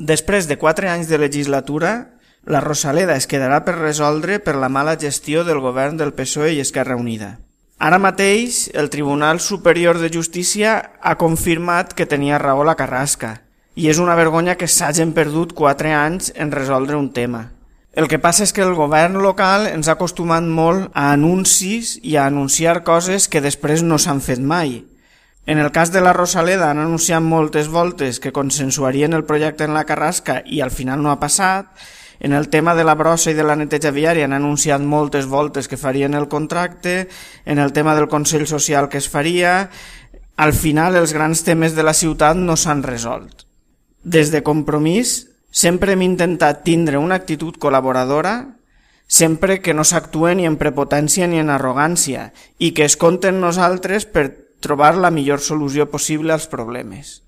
Després de 4 anys de legislatura, la Rosaleda es quedarà per resoldre per la mala gestió del govern del PSOE i Esquerra Unida. Ara mateix, el Tribunal Superior de Justícia ha confirmat que tenia raó la Carrasca i és una vergonya que s'hagin perdut 4 anys en resoldre un tema. El que passa és que el govern local ens ha acostumat molt a anuncis i a anunciar coses que després no s'han fet mai. En el cas de la Rosaleda han anunciat moltes voltes que consensuarien el projecte en la Carrasca i al final no ha passat. En el tema de la brossa i de la neteja viària han anunciat moltes voltes que farien el contracte. En el tema del Consell Social que es faria. Al final els grans temes de la ciutat no s'han resolt. Des de Compromís sempre hem intentat tindre una actitud col·laboradora, sempre que no s'actue ni en prepotència ni en arrogància i que es compte en nosaltres per trobar la millor solució possible als problemes.